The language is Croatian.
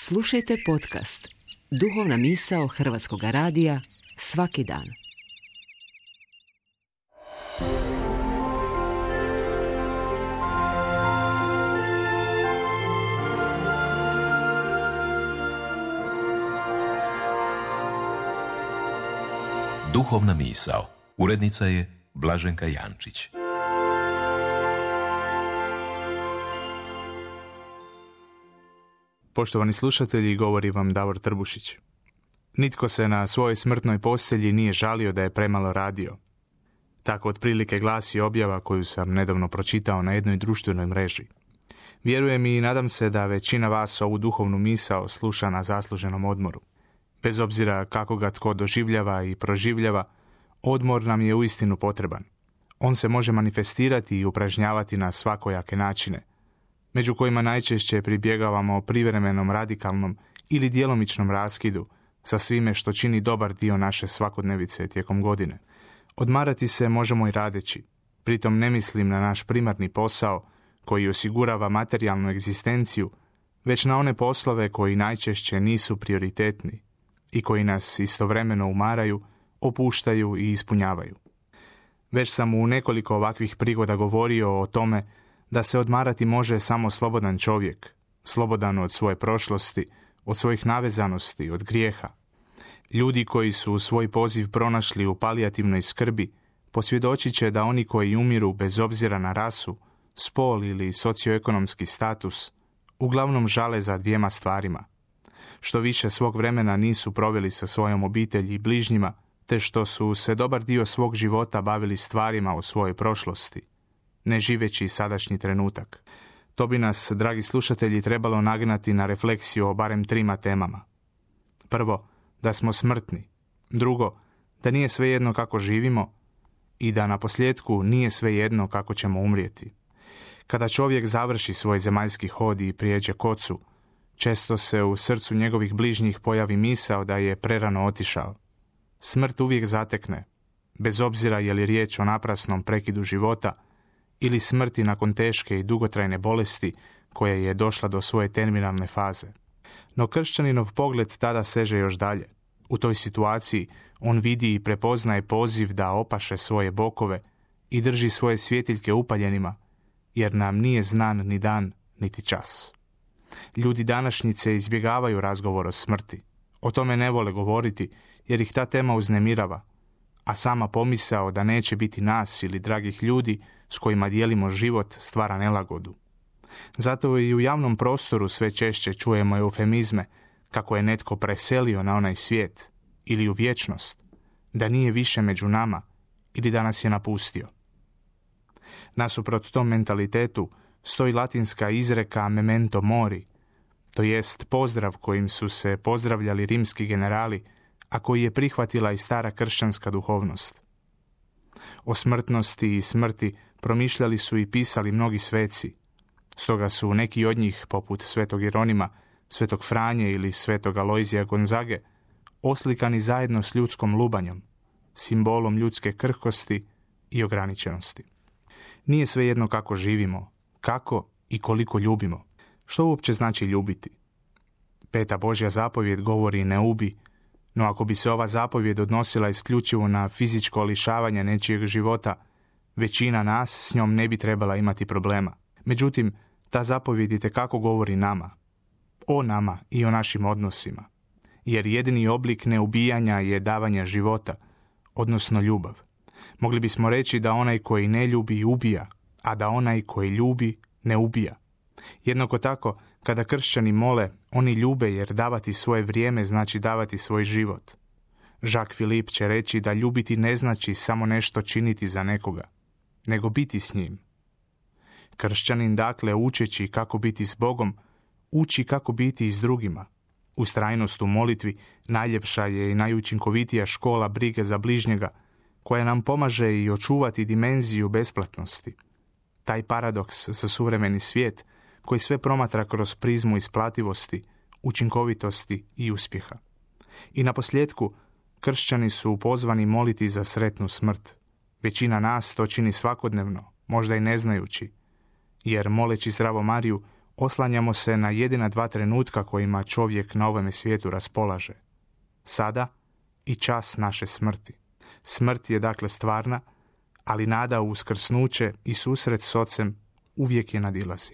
Slušajte podcast Duhovna misao Hrvatskog radija svaki dan. Duhovna misao. Urednica je Blaženka Jančić. Poštovani slušatelji, govori vam Davor Trbušić. Nitko se na svojoj smrtnoj postelji nije žalio da je premalo radio. Tako otprilike glasi objava koju sam nedavno pročitao na jednoj društvenoj mreži. Vjerujem i nadam se da većina vas ovu duhovnu misao sluša na zasluženom odmoru. Bez obzira kako ga tko doživljava i proživljava, odmor nam je uistinu potreban. On se može manifestirati i upražnjavati na svakojake načine, među kojima najčešće pribjegavamo privremenom, radikalnom ili djelomičnom raskidu sa svime što čini dobar dio naše svakodnevice tijekom godine. Odmarati se možemo i radeći. Pritom ne mislim na naš primarni posao koji osigurava materijalnu egzistenciju, već na one poslove koji najčešće nisu prioritetni i koji nas istovremeno umaraju, opuštaju i ispunjavaju. Već sam u nekoliko ovakvih prigoda govorio o tome da se odmarati može samo slobodan čovjek, slobodan od svoje prošlosti, od svojih navezanosti, od grijeha. Ljudi koji su svoj poziv pronašli u palijativnoj skrbi posvjedočit će da oni koji umiru bez obzira na rasu, spol ili socioekonomski status uglavnom žale za dvijema stvarima: što više svog vremena nisu proveli sa svojom obitelji i bližnjima, te što su se dobar dio svog života bavili stvarima o svojoj prošlosti, ne živeći sadašnji trenutak. To bi nas, dragi slušatelji, trebalo nagnati na refleksiju o barem 3 temama. Prvo, da smo smrtni. Drugo, da nije svejedno kako živimo i da naposljetku nije svejedno kako ćemo umrijeti. Kada čovjek završi svoj zemaljski hod i prijeđe k Ocu, često se u srcu njegovih bližnjih pojavi misao da je prerano otišao. Smrt uvijek zatekne, bez obzira je li riječ o naprasnom prekidu života ili smrti nakon teške i dugotrajne bolesti koja je došla do svoje terminalne faze. No kršćaninov pogled tada seže još dalje. U toj situaciji on vidi i prepoznaje poziv da opaše svoje bokove i drži svoje svjetiljke upaljenima, jer nam nije znan ni dan, niti čas. Ljudi današnjice izbjegavaju razgovor o smrti. O tome ne vole govoriti jer ih ta tema uznemirava, a sama pomisao da neće biti nas ili dragih ljudi s kojima dijelimo život stvara nelagodu. Zato i u javnom prostoru sve češće čujemo eufemizme kako je netko preselio na onaj svijet ili u vječnost, da nije više među nama ili da nas je napustio. Nasuprot tom mentalitetu stoji latinska izreka memento mori, to jest pozdrav kojim su se pozdravljali rimski generali, a koji je prihvatila i stara kršćanska duhovnost. O smrtnosti i smrti promišljali su i pisali mnogi sveci, stoga su neki od njih, poput svetog Jeronima, svetog Franje ili svetog Alojzija Gonzage, oslikani zajedno s ljudskom lubanjom, simbolom ljudske krhkosti i ograničenosti. Nije svejedno kako živimo, kako i koliko ljubimo. Što uopće znači ljubiti? 5. Božja zapovjed govori ne ubi, no ako bi se ova zapovjed odnosila isključivo na fizičko lišavanje nečijeg života, većina nas s njom ne bi trebala imati problema. Međutim, ta zapovjed itekako govori nama, o nama i o našim odnosima, jer jedini oblik neubijanja je davanje života, odnosno ljubav. Mogli bismo reći da onaj koji ne ljubi ubija, a da onaj koji ljubi ne ubija. Jednako tako, kada kršćani mole, oni ljube jer davati svoje vrijeme znači davati svoj život. Jacques Philippe će reći da ljubiti ne znači samo nešto činiti za nekoga, nego biti s njim. Kršćanin, dakle, učeći kako biti s Bogom, uči kako biti i s drugima. Ustrajnost u molitvi najljepša je i najučinkovitija škola brige za bližnjega, koja nam pomaže i očuvati dimenziju besplatnosti. Taj paradoks za suvremeni svijet koji sve promatra kroz prizmu isplativosti, učinkovitosti i uspjeha. I naposljetku, kršćani su pozvani moliti za sretnu smrt. Većina nas to čini svakodnevno, možda i ne znajući, jer moleći Zdravo Mariju oslanjamo se na jedina dva trenutka kojima čovjek na ovome svijetu raspolaže. Sada i čas naše smrti. Smrt je dakle stvarna, ali nada u uskrsnuće i susret s Ocem uvijek je nadilazi.